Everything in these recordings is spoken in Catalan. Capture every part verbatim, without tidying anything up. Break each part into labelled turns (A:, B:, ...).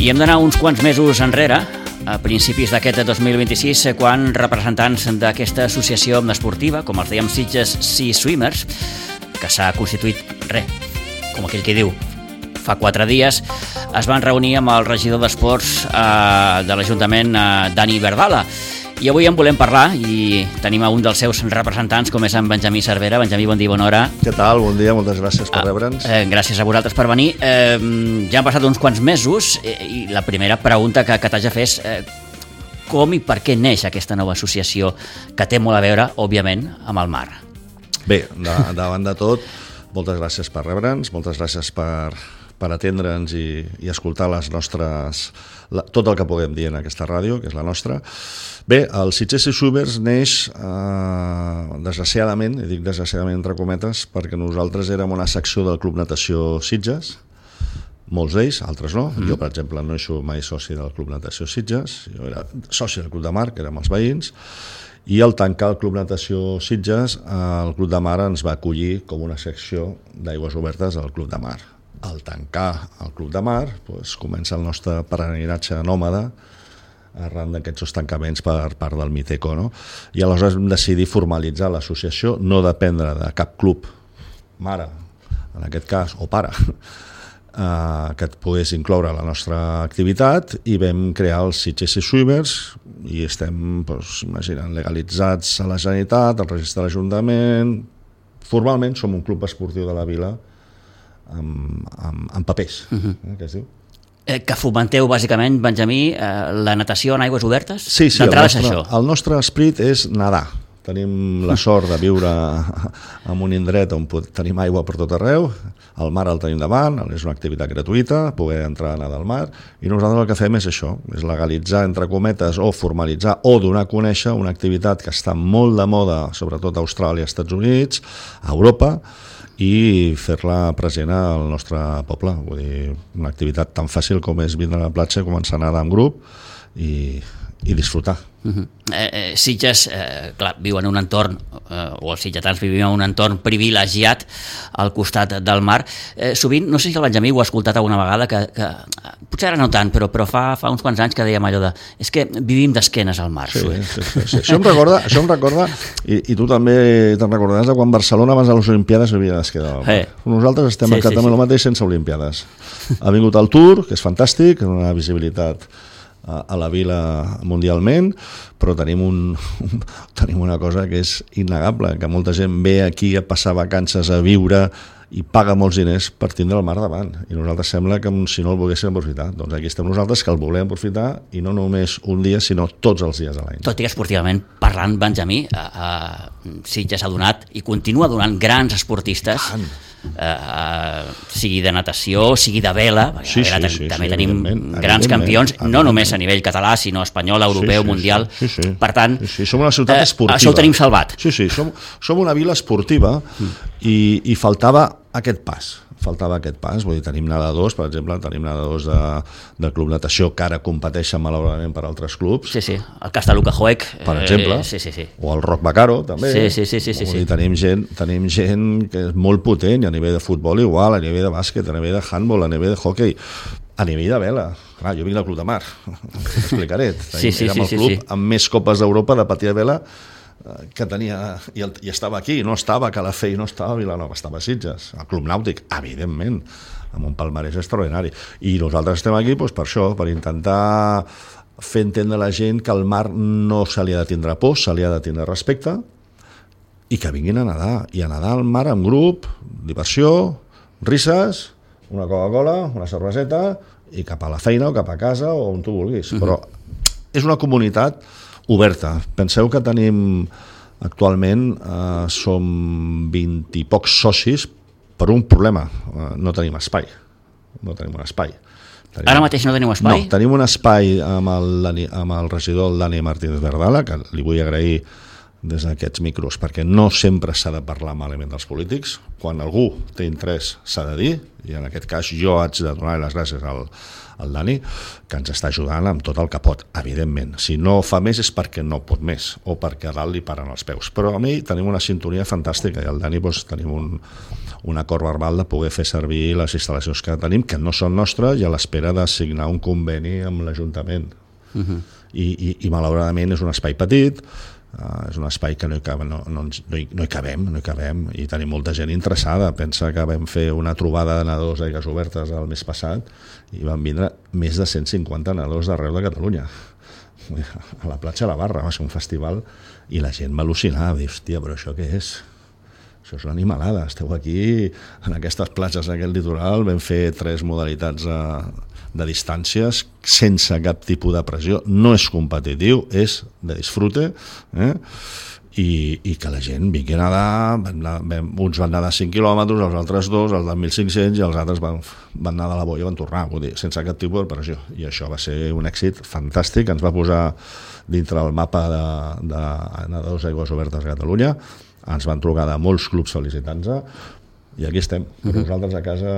A: I hem d'anar uns quants mesos enrere, a principis d'aquest dos mil vint-i-sis, quan representants d'aquesta associació esportiva, com els dèiem Sitges Sea Swimmers, que s'ha constituït, res, com aquell que diu, fa quatre dies, es van reunir amb el regidor d'Esports eh, de l'Ajuntament, eh, Dani Verdala. I avui en volem parlar i tenim a un dels seus representants, com és en Benjamí Cervera. Benjamí, bon dia, bona hora.
B: Què tal? Bon dia, moltes gràcies per rebre'ns.
A: Eh, gràcies a vosaltres per venir. Eh, ja han passat uns quants mesos eh, i la primera pregunta que, que t'haig de fer és eh, com i per què neix aquesta nova associació que té molt a veure, òbviament, amb el mar?
B: Bé, de, davant de tot, moltes gràcies per rebre'ns, moltes gràcies per, per atendre'ns i, i escoltar les nostres, la, tot el que puguem dir en aquesta ràdio, que és la nostra. Bé, el Sitges Sea Swimmers neix, eh, desgraciadament, i dic desgraciadament entre cometes, perquè nosaltres érem una secció del Club Natació Sitges, molts d'ells, altres no. Mm. Jo, per exemple, no he sigut mai soci del Club Natació Sitges, jo era soci del Club de Mar, que érem els veïns, i al tancar el Club Natació Sitges, el Club de Mar ens va acollir com una secció d'aigües obertes al Club de Mar. Al tancar el Club de Mar, doncs, comença el nostre peregrinatge nòmada arran d'aquests tancaments per part del Miteco, no? I aleshores vam decidir formalitzar l'associació, no dependre de cap club mare, en aquest cas, o pare, eh, que et pogués incloure la nostra activitat, i vam crear els Sitges Sea Swimmers i estem, doncs, imaginant, legalitzats a la Generalitat, al registre de l'Ajuntament. Formalment som un club esportiu de la vila amb, amb, amb papers, uh-huh. eh, que es diu.
A: Eh, que fomenteu, bàsicament, Benjamí, eh, la natació en aigües obertes?
B: Sí, sí, el nostre,
A: això.
B: el nostre esperit és nedar. Tenim la sort de viure en un indret on tenim aigua per tot arreu, el mar el tenim davant, és una activitat gratuïta, poder entrar a nedar al mar, i nosaltres el que fem és això, és legalitzar, entre cometes, o formalitzar, o donar a conèixer una activitat que està molt de moda, sobretot a Austràlia, als Estats Units, a Europa, i fer-la present al nostre poble. Vull dir, una activitat tan fàcil com és vindre a la platja, començar a nedar en grup i, i disfrutar.
A: Uh-huh. eh, eh, Sitges, eh, clar, viu en un entorn, eh, o els sitgetans vivim en un entorn privilegiat al costat del mar. Eh, sovint, no sé si el Benjamí ho ha escoltat alguna vegada, que, que potser ara no tant, però, però fa, fa uns quants anys que dèiem allò de és que vivim d'esquenes al mar.
B: Sí, sí, sí, sí. Això em recorda, això em recorda i, i tu també te'n recordaràs de quan Barcelona abans de les Olimpiades vivia d'esquena al mar. Eh. Nosaltres estem sí, exactament sí, sí. el mateix sense Olimpiades. Ha vingut el Tour, que és fantàstic, una visibilitat a la vila mundialment, però tenim, un, un, tenim una cosa que és innegable, que molta gent ve aquí a passar vacances, a viure, i paga molts diners per tindre el mar davant, i nosaltres sembla que si no el volguéssim aprofitar. Doncs aquí estem nosaltres, que el volem aprofitar, i no només un dia, sinó tots els dies a l'any.
A: Tot i que esportivament parlant, Benjamí, a, a Sitges ha donat i continua donant grans esportistes, Uh, sigui de natació, sigui de vela,
B: sí, sí,
A: també,
B: sí,
A: també
B: sí,
A: tenim
B: evidentment,
A: grans campions,
B: evidentment.
A: no només a nivell català, sinó espanyol, europeu,
B: sí, sí,
A: mundial.
B: Sí, sí.
A: Per tant,
B: sí, sí. Som una ciutat
A: eh,
B: esportiva.
A: Això ho tenim salvat.
B: Sí, sí, som, som una vila esportiva mm. i, i faltava aquest pas. faltava aquest pas, vull dir, tenim nedadors, per exemple, tenim nedadors de, del Club Natació que ara competeixen malauradament per altres clubs.
A: Sí, sí, el cas de Luka Hoek,
B: per exemple,
A: eh, sí, sí, sí.
B: O el Roc Bacaro, també.
A: Sí, sí, sí, sí, sí,
B: vull dir,
A: sí.
B: tenim gent, tenim gent que és molt potent, a nivell de futbol igual, a nivell de bàsquet, a nivell de handball, a nivell de hockey, a nivell de vela. Clar, jo vinc del Club de Mar, t'explicaré.
A: Sí, sí,
B: Érem
A: sí,
B: el club
A: sí, sí.
B: amb més copes d'Europa de patir a vela que tenia, i, el, i estava aquí, no estava a Calafell, no estava a Vilanova, estava a Sitges, al Club Nàutic, evidentment, amb un palmarès extraordinari. I nosaltres estem aquí doncs, per això, per intentar fer entendre a la gent que al mar no se li ha de tindre por, se li ha de tindre respecte, i que vinguin a nedar, i a nedar al mar en grup, diversió, risses, una Coca-Cola, una cerveseta, i cap a la feina o cap a casa o on tu vulguis. Uh-huh. Però és una comunitat oberta. Penseu que tenim actualment eh, som vint i pocs socis per un problema. Eh, no tenim espai. No tenim un espai. Tenim...
A: Ara mateix no teniu espai?
B: No, tenim un espai amb el, amb el regidor el Dani Martínez Verdala, que li vull agrair des d'aquests micros, perquè no sempre s'ha de parlar malament dels polítics. Quan algú té interès s'ha de dir, i en aquest cas jo haig de donar les gràcies al, al Dani, que ens està ajudant amb tot el que pot, evidentment. Si no fa més és perquè no pot més, o perquè a dalt li paren els peus. Però a mi tenim una sintonia fantàstica, i al Dani doncs, tenim un, un acord verbal de poder fer servir les instal·lacions que tenim, que no són nostres, i a l'espera de signar un conveni amb l'Ajuntament. Uh-huh. I, i, i malauradament és un espai petit, Uh, és un espai que no hi, cabem, no, no, no, hi, no hi cabem, no hi cabem, i tenim molta gent interessada. Pensa que vam fer una trobada de nedadors d'aigües obertes el mes passat i van vindre més de cent cinquanta nedadors d'arreu de Catalunya a la platja de la Barra. Va ser un festival i la gent va al·lucinar, va dir, hòstia, però això què és? Això és una animalada, esteu aquí en aquestes platges d'aquest litoral, vam fer tres modalitats de, de distàncies sense cap tipus de pressió, no és competitiu, és de disfrute, eh? I, i que la gent vingui a nedar, vam anar, vam, uns van nedar cinc quilòmetres, els altres dos, els de mil cinc-cents, i els altres van, van nedar a la boia i van tornar, vull dir, sense cap tipus de pressió, i això va ser un èxit fantàstic, ens va posar dintre el mapa de, de nedadors d'aigües obertes a Catalunya. Ens van trucar de molts clubs felicitant-se i aquí estem, però nosaltres a casa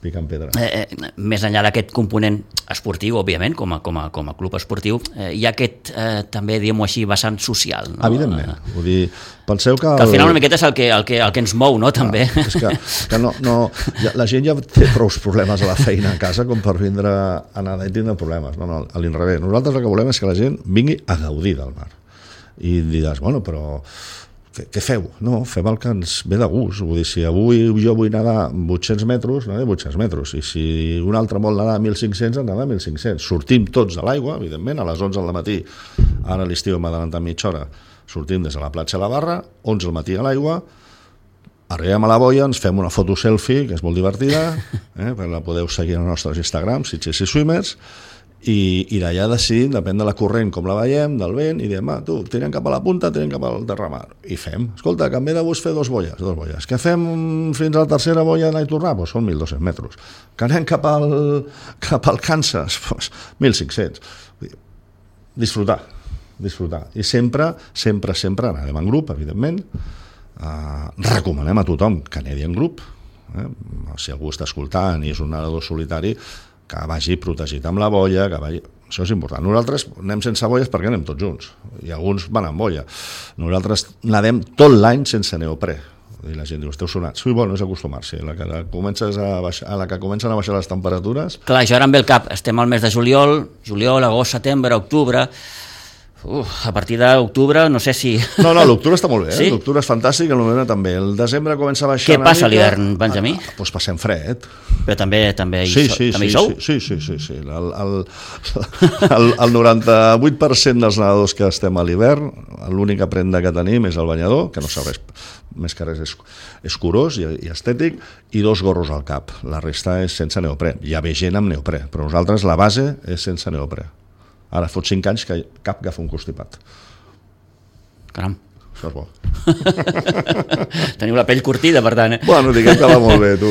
B: picant pedra.
A: Eh, eh, més enllà d'aquest component esportiu, òbviament, com a, com a, com a club esportiu, eh, hi ha aquest, eh, també, diguem-ho així, vessant social. No?
B: Evidentment. Vull dir, penseu que... El...
A: Que al final una miqueta és el que, el que, el que ens mou, no?, també.
B: Ah, és que, que no, no, ja, la gent ja té prou problemes a la feina a casa com per vindre a nedar i tindre problemes. No, no, a l'inrevés. Nosaltres el que volem és que la gent vingui a gaudir del mar. I diràs, bueno, però... què feu? No, fem el que ens ve de gust. Vull dir, si avui jo vull nedar vuit-cents metres, nedar vuit-cents metres, i si un altre vol nedar mil cinc-cents, nedar mil cinc-cents. Sortim tots de l'aigua, evidentment, a les onze del matí, ara a l'estiu hem adelantat mitja hora, sortim des de la platja de la Barra, onze del matí a l'aigua, arribem a la boia, ens fem una foto selfie, que és molt divertida, eh, perquè la podeu seguir als nostres Instagram, Sitges i Swimmers, i, i d'allà decidim, depèn de la corrent com la veiem, del vent, i diem, ah, tu, tirem cap a la punta, tirem cap al terramar, i fem, escolta, que en ve de gust fer dos boies, dos boies, que fem fins a la tercera boia d'anar i tornar, doncs són mil dos-cents metres, que anem cap al, cap al Kansas, doncs mil cinc-cents, disfrutar, disfrutar, i sempre, sempre, sempre anem en grup, evidentment, uh, recomanem a tothom que nedi en grup, eh? Si algú està escoltant i és un nedador solitari, que vagi protegit amb la boia, que vagi... Això és important. Nosaltres anem sense boies perquè anem tots junts, i alguns van amb boia. Nosaltres nedem tot l'any sense neoprè. I la gent diu, esteu sonats. Sí, bueno, és acostumar-s'hi. A la que comences a baixar, a la que comencen a baixar les temperatures...
A: Clar, això ara em ve el cap. Estem al mes de juliol, juliol, agost, setembre, octubre... Uf, a partir d'octubre no sé si...
B: No, no, l'octubre està molt bé, eh?
A: Sí?
B: L'octubre és fantàstic, el novembre també. El desembre comença a baixar...
A: Què passa a l'hivern, Benjamí?
B: Ah, doncs passem fred.
A: Però també, també, hi,
B: sí,
A: so,
B: sí,
A: també
B: sí,
A: hi sou?
B: Sí, sí, sí, sí. El, el, el, el noranta-vuit per cent dels nedadors que estem a l'hivern, l'única prenda que tenim és el banyador, que no serveix més que res, és, és curós i, i estètic, i dos gorros al cap. La resta és sense neoprè. Hi ha bé gent amb neoprè, però nosaltres la base és sense neoprè. Ara fot cinc anys que cap agafa un constipat.
A: Caram.
B: Això és bo.
A: Teniu la pell curtida, per tant. Eh?
B: Bueno, diguem que va molt bé, tu.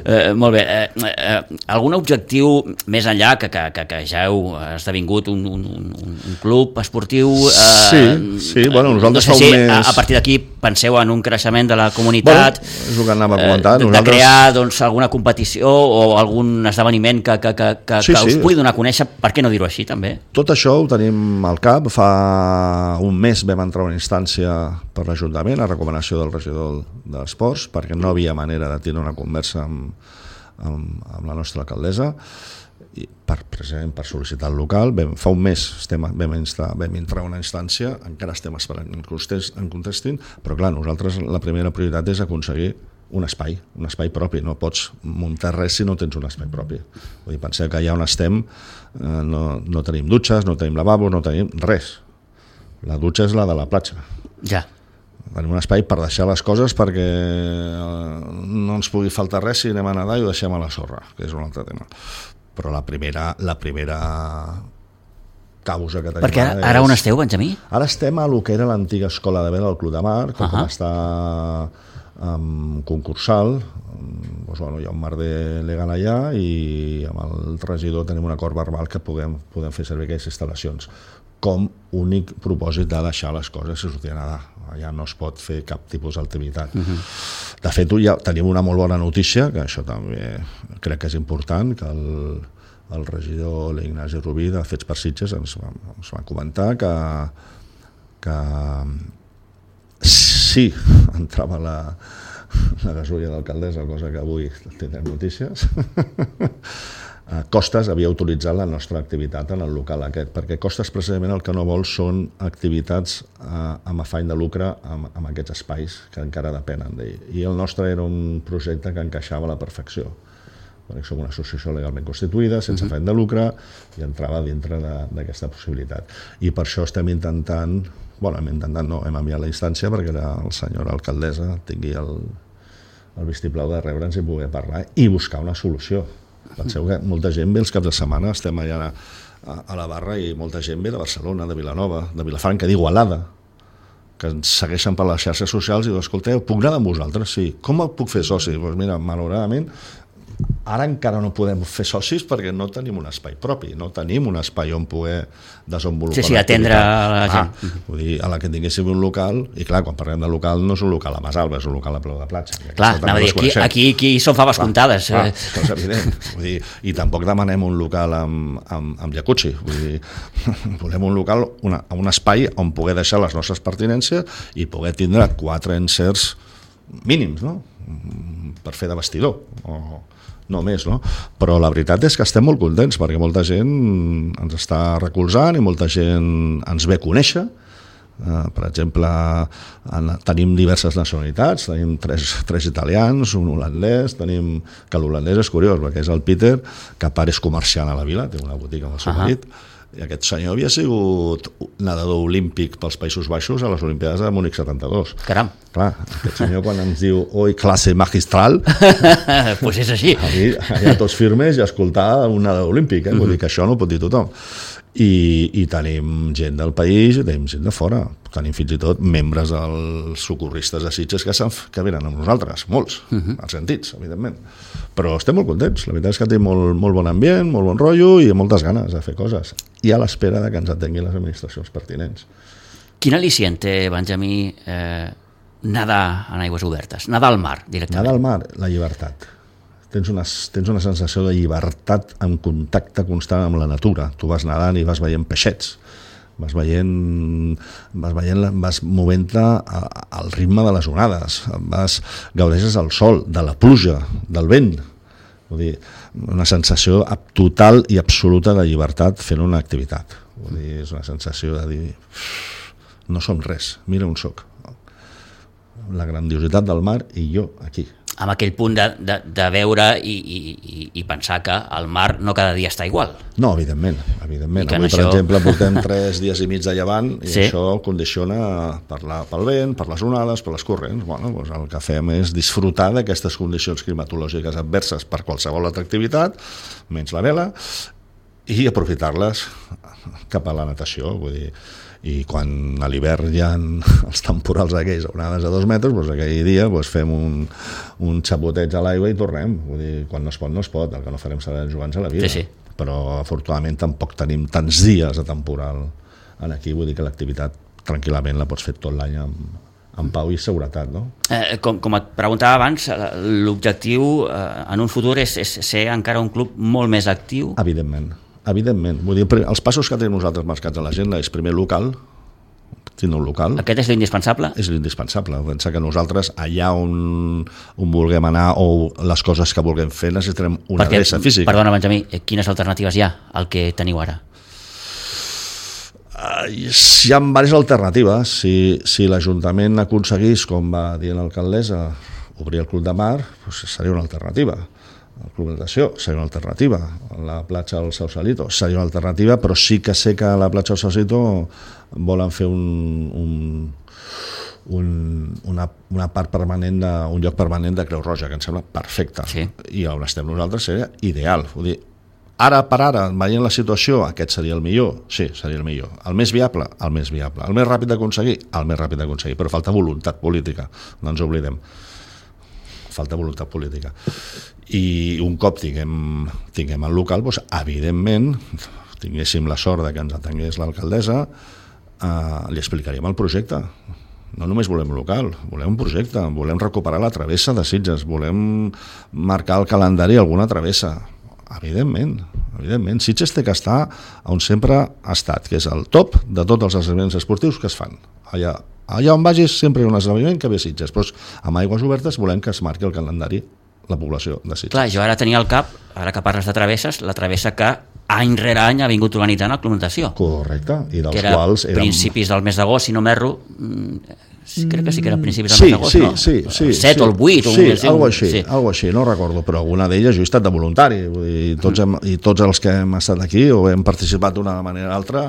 A: eh, molt bé. Eh, eh, algun objectiu més enllà, que, que, que, que ja heu esdevingut un, un, un, un club esportiu... Eh,
B: sí, sí, bueno, nosaltres
A: no sé si
B: més...
A: a, a partir d'aquí penseu en un creixement de la comunitat,
B: bueno, és el que anava a comentar.
A: Eh, de,
B: nosaltres...
A: de crear doncs, alguna competició o algun esdeveniment que, que, que, que,
B: sí,
A: que us
B: sí.
A: pugui donar a conèixer, per què no dir-ho així, també?
B: Tot això ho tenim al cap. Fa un mes vam entrar a una instància per l'Ajuntament, a recomanació del regidor d'Esports, perquè no havia manera de tenir una conversa amb, amb, amb la nostra alcaldessa, i per, precisament per sol·licitar el local. Vam, fa un mes estem, vam, instar, vam entrar a una instància, encara estem esperant en contest, en contestin, però clar, nosaltres la primera prioritat és aconseguir un espai, un espai propi. No pots muntar res si no tens un espai propi. Vull dir, penseu que allà on estem eh, no, no tenim dutxes, no tenim lavabos, no tenim res. La dutxa és la de la platja.
A: Ja.
B: Tenim un espai per deixar les coses perquè no ens pugui faltar res si anem a nedar i ho deixem a la sorra, que és un altre tema. Però la primera, la primera causa que tenim...
A: Perquè ara, ara on esteu, Benjamí?
B: Ara estem a lo que era l'antiga escola de vela del Club de Mar, que uh -huh. com està um, concursal, doncs, bueno, hi ha un merder legal allà i amb el regidor tenim un acord verbal que podem, podem fer servir aquestes instal·lacions com únic propòsit de deixar les coses i sortir a nedar. Ja no es pot fer cap tipus d'activitat. Uh-huh. De fet, ja tenim una molt bona notícia, que això també crec que és important, que el, el regidor l'Ignasi Rubí de Fets per Sitges ens va, ens va comentar que, que sí, entrava la, la gasolla d'alcaldessa, cosa que avui tindrem notícies, Costes havia utilitzat la nostra activitat en el local aquest, perquè Costes precisament el que no vol són activitats eh, amb afany de lucre amb, amb aquests espais que encara depenen d'ell. I el nostre era un projecte que encaixava a la perfecció, perquè som una associació legalment constituïda, sense uh-huh. afany de lucre, i entrava dintre d'aquesta possibilitat. I per això estem intentant, bueno, hem intentat no, hem enviat la instància perquè la senyora alcaldessa tingui el, el vistiplau de rebre'ns i poder parlar i buscar una solució. Penseu que molta gent ve els caps de setmana, estem allà a, a la barra i molta gent ve de Barcelona, de Vilanova, de Vilafranca, d'Igualada, que ens segueixen per les xarxes socials i diuen, escolteu, puc anar amb vosaltres? Sí. Com el puc fer soci? Doncs mira, malauradament, ara encara no podem fer socis perquè no tenim un espai propi, no tenim un espai on poder desenvolupar
A: sí, sí, atendre a la gent.
B: Ah, vull dir, a la que tinguéssim un local, i clar, quan parlem de local no és un local a Masalba, és un local a Peu de Platja.
A: Clar, anava a dir, aquí, aquí, aquí són faves clar, comptades.
B: Clar, això és evident. Vull dir, i tampoc demanem un local amb, amb, amb jacuzzi. Vull dir, volem un local, una, un espai on poder deixar les nostres pertinències i poder tindre quatre encerts mínims, no? Per fer de vestidor, o no més, no? Però la veritat és que estem molt contents perquè molta gent ens està recolzant i molta gent ens ve a conèixer. Uh, per exemple, en, tenim diverses nacionalitats, tenim tres, tres italians, un holandès, tenim, que l'holandès és curiós perquè és el Peter, que a part és comerciant a la vila, té una botiga amb el seu uh-huh. marit, i aquest senyor havia sigut nedador olímpic pels Països Baixos a les Olimpiades de Múnich setanta-dos.
A: Caram.
B: Clar, aquest senyor quan ens diu oi, classe magistral,
A: pues és així.
B: Aquí, allà tots firmes i escoltar un nedador olímpic, eh? Vull dir que això no ho pot dir tothom. I, i tenim gent del país i tenim gent de fora. Tenim fins i tot membres dels socorristes de Sitges que, que venen amb nosaltres, molts, uh-huh. als sentits, evidentment. Però estem molt contents. La veritat és que té molt, molt bon ambient, molt bon rotllo i moltes ganes de fer coses. I a l'espera de que ens atenguin les administracions pertinents.
A: Quin al·licient té, Benjamí, eh, nedar en aigües obertes? Nedar al mar, directament?
B: Nedar al mar, la llibertat. Tens una, tens una sensació de llibertat en contacte constant amb la natura. Tu vas nedant i vas veient peixets, vas veient, vas, veient, vas movent-te al ritme de les onades, vas, gaudeixes del sol, de la pluja, del vent. Vull dir, una sensació total i absoluta de llibertat fent una activitat. Vull dir, és una sensació de dir no som res, mira on soc. La grandiositat del mar i jo aquí.
A: Amb aquell punt de, de, de veure i, i, i pensar que el mar no cada dia està igual.
B: No, evidentment. evidentment. Avui, això... per exemple, portem tres dies i mig de llevant i sí. Això condiciona per la, pel vent, per les onades, per les corrents. Bueno, doncs el que fem és disfrutar d'aquestes condicions climatològiques adverses per qualsevol altra activitat, menys la vela, i aprofitar-les cap a la natació. Vull dir, i quan a l'hivern hi ha els temporals aquells, onades a dos metres, doncs aquell dia doncs fem un, un xapoteig a l'aigua i tornem. Vull dir, quan no es pot, no es pot, el que no farem serà jugar-nos a la vida.
A: Sí, sí.
B: Però afortunadament tampoc tenim tants dies de temporal aquí, vull dir que l'activitat tranquil·lament la pots fer tot l'any amb, amb pau i seguretat, no?
A: Eh, com, com et preguntava abans, l'objectiu eh, en un futur és, és ser encara un club molt més actiu?
B: Evidentment. Evidentment, vull dir, els passos que tenim nosaltres marcats a l'agenda és primer local, tindre un local.
A: Aquest és l'indispensable?
B: És l'indispensable. Pensa que nosaltres allà on, on vulguem anar o les coses que vulguem fer necessitarem una
A: Perquè,
B: adreça física.
A: Perdona, Benjamí, quines alternatives hi ha al que teniu ara?
B: Uh, hi ha diverses alternatives. Si, si l'Ajuntament aconseguís, com va dir l'alcaldessa, obrir el Club de Mar, doncs seria una alternativa. El Club de Natació seria una alternativa, la platja del Sausalito seria una alternativa, però sí que sé que a la platja del Sausalito volen fer un, un, un, una, una part permanent, de, un lloc permanent de Creu Roja, que em sembla perfecte,
A: sí.
B: I on estem nosaltres seria ideal. Vull dir, ara per ara, veient la situació, aquest seria el millor? Sí, seria el millor. El més viable? El més viable. El més ràpid d'aconseguir? El més ràpid d'aconseguir, però falta voluntat política, no ens oblidem. falta voluntat política. I un cop tinguem, tinguem el local, doncs, evidentment, tinguéssim la sort de que ens atengués l'alcaldessa, eh, li explicaríem el projecte. No només volem local, volem un projecte, volem recuperar la travessa de Sitges, volem marcar el calendari alguna travessa. Evidentment, evidentment. Sitges té que estar on sempre ha estat, que és el top de tots els esdeveniments esportius que es fan. Allà, allà on vagis sempre hi ha un esdeveniment que ve Sitges, però amb aigües obertes volem que es marqui el calendari la població de Sitges.
A: Clar, jo ara tenia al cap, ara que parles de travesses, la travessa que any rere any ha vingut organitzant el Club Natació.
B: Correcte, i dels
A: que era
B: quals érem...
A: principis del mes d'agost, si no m'erro, crec que sí que era principis del
B: sí,
A: mes d'agost,
B: sí,
A: no?
B: Sí, sí,
A: el set
B: sí,
A: o el vuit.
B: Sí,
A: o
B: algo així,
A: sí.
B: algo així, no recordo, però alguna d'elles jo he estat de voluntari, vull dir, tots hem, i tots els que hem estat aquí o hem participat d'una manera o altra,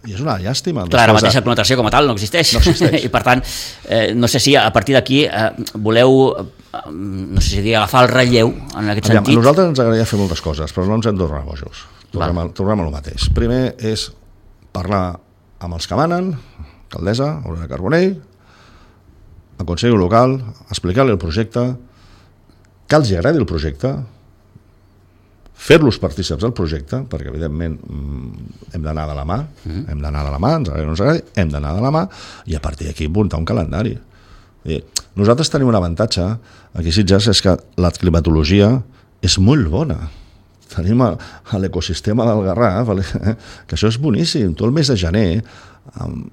B: i és una llàstima.
A: Clar, ara mateix la connotació com a tal no existeix.
B: No existeix.
A: I per tant, eh, no sé si a partir d'aquí eh, voleu, eh, no sé si dir, agafar el relleu en aquest
B: Aviam,
A: sentit.
B: a nosaltres ens agradaria fer moltes coses, però no ens hem de tornar bojos. Tornem, a, tornem a lo mateix. Primer és parlar amb els que manen, alcaldessa, Aurora Carbonell, el Consell Local, explicar-li el projecte, que els agradi el projecte, fer-los partícips del projecte, perquè evidentment hem d'anar de la mà, mm. hem d'anar de la mà, ens agradi o no ens agradi, hem d'anar de la mà, i a partir d'aquí muntar un calendari. I nosaltres tenim un avantatge, aquí a Sitges, és que la climatologia és molt bona. Tenim a, a l'ecosistema del Garraf, eh, que això és boníssim. Tu el mes de gener,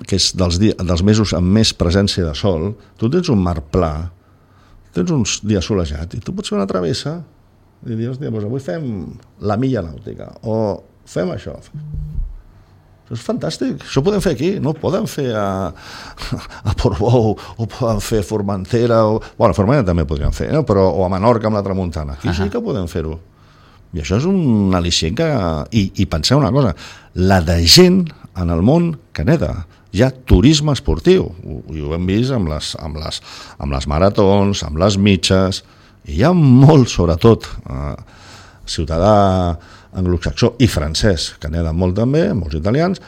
B: que és dels, dies, dels mesos amb més presència de sol, tu tens un mar pla, tens uns dies solejats, i tu pots fer una travessa, i dir, hòstia, doncs avui fem la milla nàutica, o fem això. Això és fantàstic, això ho podem fer aquí, no ho podem fer a, a Portbou, o podem fer a Formentera, o, bueno, a Formentera també podríem fer, no? Però, o a Menorca amb la tramuntana, aquí uh -huh. sí que podem fer-ho. I això és un al·licient que... I, i penseu una cosa, la de gent en el món que neda, hi ha turisme esportiu, i ho hem vist amb les, amb les, amb les maratons, amb les mitges, i hi ha molt, sobretot, eh, ciutadà anglosaxó i francès, que neden molt també, molts italians,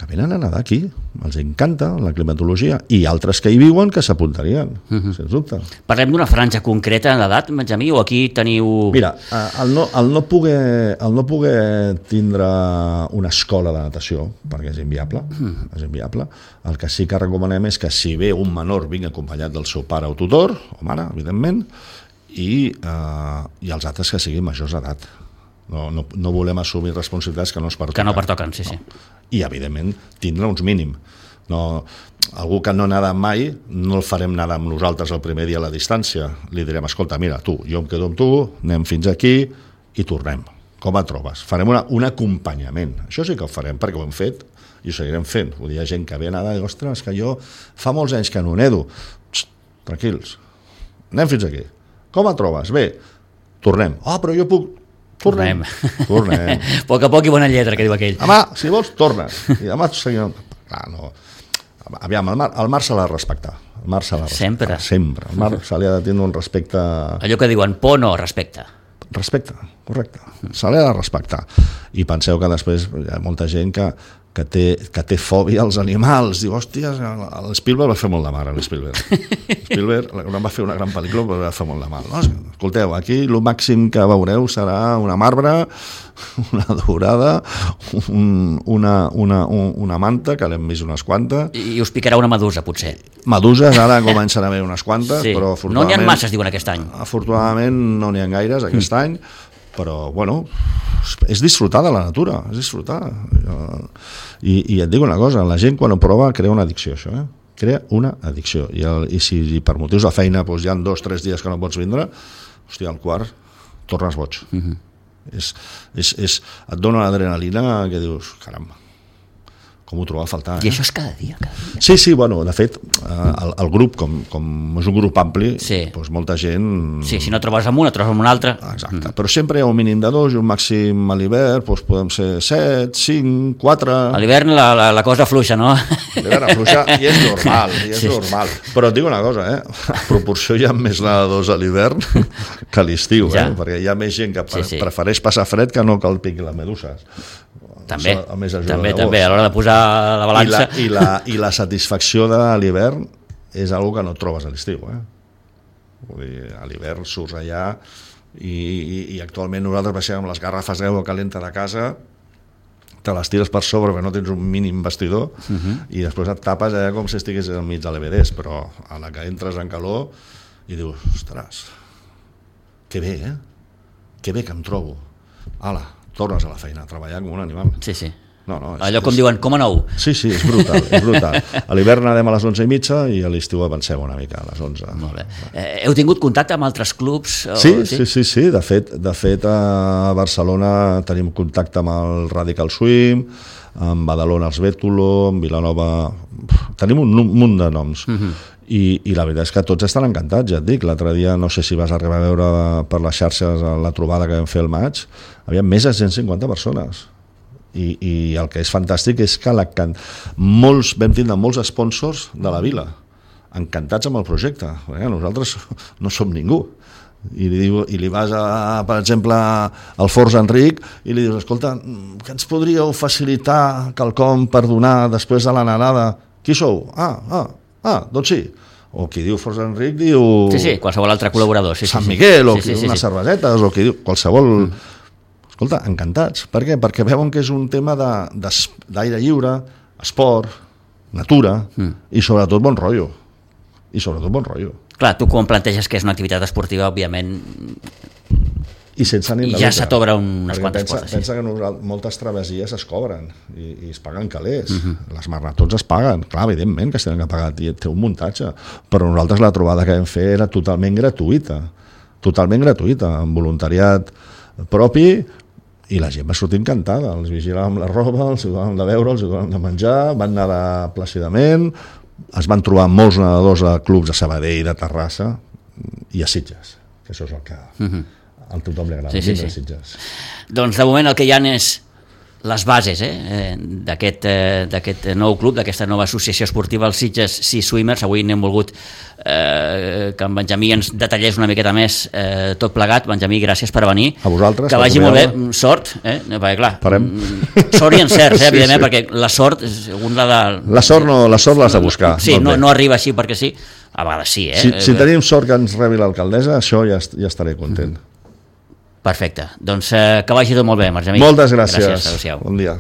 B: que venen a nedar aquí, els encanta la climatologia, i altres que hi viuen que s'apuntarien, uh-huh. sens dubte.
A: Parlem d'una franja concreta d'edat, Benjamí, o aquí teniu...
B: Mira, el no, el no, poder, el no poder tindre una escola de natació, perquè és inviable, uh-huh. és inviable, el que sí que recomanem és que si ve un menor vingui acompanyat del seu pare o tutor, o mare, evidentment, i, eh, i els altres que siguin majors d'edat. No, no, no volem assumir responsabilitats que no es pertoquen.
A: Que no pertoquen, sí, sí.
B: No. I, evidentment, tindre uns mínim. No, algú que no nada mai, no el farem nedar amb nosaltres el primer dia a la distància. Li direm, escolta, mira, tu, jo em quedo amb tu, anem fins aquí i tornem. Com et trobes? Farem una, un acompanyament. Això sí que ho farem, perquè ho hem fet i ho seguirem fent. Vull dir, hi ha gent que ve a nedar i diu, ostres, que jo fa molts anys que no nedo. Psst, tranquils, anem fins aquí. Com et trobes? Bé, tornem. Ah, oh, però jo puc... Tornem. Tornem.
A: A poc a poc i bona lletra, que diu aquell.
B: Demà, si vols, tornes. I demà seguim... Clar, no... Aviam, el mar, el mar se l'ha de respectar. El mar se l'ha de respectar.
A: Sempre.
B: Sempre. El mar se li ha de tenir un respecte...
A: Allò que diuen, por no, respecte.
B: Respecte, correcte. Se l'ha de respectar. I penseu que després hi ha molta gent que, que, té, que té fòbia als animals. Diu, hòstia, l'Spielberg va fer molt de mal, l'Spielberg. L'Spielberg va fer una gran pel·lícula, però va fer molt de mal. No, escolteu, aquí el màxim que veureu serà una marbre, una dorada, un, una, una, una manta, que l'hem vist unes quantes.
A: I us picarà una medusa, potser.
B: Meduses, ara comencen a haver unes quantes,
A: sí.
B: però
A: no n'hi ha masses, diuen, aquest any.
B: Afortunadament no n'hi ha gaires aquest mm. any, però, bueno, és disfrutar de la natura, és disfrutar. I, i et dic una cosa, la gent quan ho prova crea una addicció, això, eh? Crea una addicció. I, el, i si i per motius de feina doncs, hi ha dos o tres dies que no pots vindre, hòstia, al quart tornes boig. Mm-hmm. És, és, és, et dona una adrenalina que dius, caramba, com ho trobava a faltar. Eh?
A: I això és cada dia, cada dia.
B: Sí, sí, bueno, de fet, el, el grup, com, com és un grup ampli,
A: sí.
B: doncs molta gent...
A: Sí, si no trobes amb una, trobes amb una altra.
B: Exacte, mm. però sempre hi ha un mínim de dos i un màxim a l'hivern, doncs podem ser set, cinc, quatre...
A: A l'hivern la, la, la cosa fluixa, no?
B: A l'hivern afluixa i és normal, i és sí. normal. Però et dic una cosa, eh? A proporció hi ha més nedadors a l'hivern que a l'estiu, ja. eh? Perquè hi ha més gent que sí, sí. prefereix passar fred que no que el piqui les meduses.
A: També, també, també, a l'hora de posar la balança.
B: I la, i la, i la satisfacció de l'hivern és una que no et trobes a l'estiu, eh? Vull dir, a l'hivern surts allà i, i, i actualment nosaltres baixem amb les garrafes d'aigua calenta de casa, te les tires per sobre perquè no tens un mínim vestidor uh-huh. i després et tapes allà com si estigués al mig de l'Everest, però a la que entres en calor i dius, ostres, que bé, eh? Que bé que em trobo. Ala, tornes a la feina, a treballar com un animal.
A: Sí, sí.
B: No, no, és,
A: allò com
B: és...
A: diuen, com a nou.
B: Sí, sí, és brutal, és brutal. A l'hivern anem a les onze i mitja i a l'estiu avancem una mica a les onze.
A: Molt bé. Eh, heu tingut contacte amb altres clubs? O...
B: Sí, sí, sí, sí, sí. De fet, de fet a Barcelona tenim contacte amb el Radical Swim, amb Badalona els Bétulo, amb Vilanova... Tenim un munt de noms. Uh-huh. I, i la veritat és que tots estan encantats, ja et dic. L'altre dia, no sé si vas arribar a veure per les xarxes la trobada que vam fer al maig, hi havia més de cent cinquanta persones. I, i el que és fantàstic és que la, molts, vam tindre molts sponsors de la vila encantats amb el projecte, perquè nosaltres no som ningú i li, diu, i li vas a, per exemple al Forts Enric i li dius, escolta, que ens podríeu facilitar quelcom per donar després de la nadada? Qui sou? Ah, ah, ah, doncs sí. O qui diu Forts Enric diu...
A: Sí, sí, qualsevol altre col·laborador. Sí,
B: Sant
A: sí,
B: Miguel,
A: sí.
B: o
A: Sí,
B: qui
A: sí,
B: diu
A: sí,
B: unes
A: sí.
B: cervesetes, o qui diu qualsevol... Mm. Escolta, encantats. Per què? Perquè veuen que és un tema de, de, d'aire lliure, esport, natura mm. i sobretot bon rotllo. I sobretot bon rotllo.
A: Clar, tu quan planteges que és una activitat esportiva, òbviament...
B: I sense ànim de
A: ja
B: lucre.
A: se t'obren unes
B: Perquè
A: quantes
B: pensa,
A: portes. Sí.
B: Pensa que nosaltres, moltes travessies es cobren i, i es paguen calés.
A: Mm-hmm.
B: Les maratons es paguen. Clar, evidentment que es tenen que pagar, té un muntatge. Però nosaltres la trobada que vam fer era totalment gratuïta. Totalment gratuïta, amb voluntariat propi, i la gent va sortir encantada. Els vigilàvem la roba, els donàvem de beure, els donàvem de menjar, van nedar plàcidament, es van trobar molts nedadors a clubs de Sabadell, de Terrassa i a Sitges, que això és el que mm-hmm. a tothom li agrada,
A: sí, sí,
B: vindre
A: sí.
B: a Sitges.
A: Doncs de moment el que hi ha és les bases eh, d'aquest, eh, d'aquest nou club, d'aquesta nova associació esportiva, els Sitges Sea Swimmers. Avui n'hem volgut eh, que en Benjamí ens detallés una miqueta més eh, tot plegat. Benjamí, gràcies per venir.
B: A vosaltres.
A: Que vagi molt bé. Sort, eh? perquè clar,
B: Farem.
A: Sort i encert, eh,
B: Sí,
A: evidentment,
B: sí.
A: perquè la sort, segons la de...
B: La sort no, la sort l'has de buscar.
A: Sí, no, no arriba així perquè sí. A vegades sí, eh?
B: Si, si tenim sort que ens rebi l'alcaldessa, això ja, ja estaré content.
A: Perfecte. Doncs eh, que vagi tot molt bé, Benjamí.
B: Moltes gràcies.
A: Gràcies, adéu-siau.
B: Bon dia.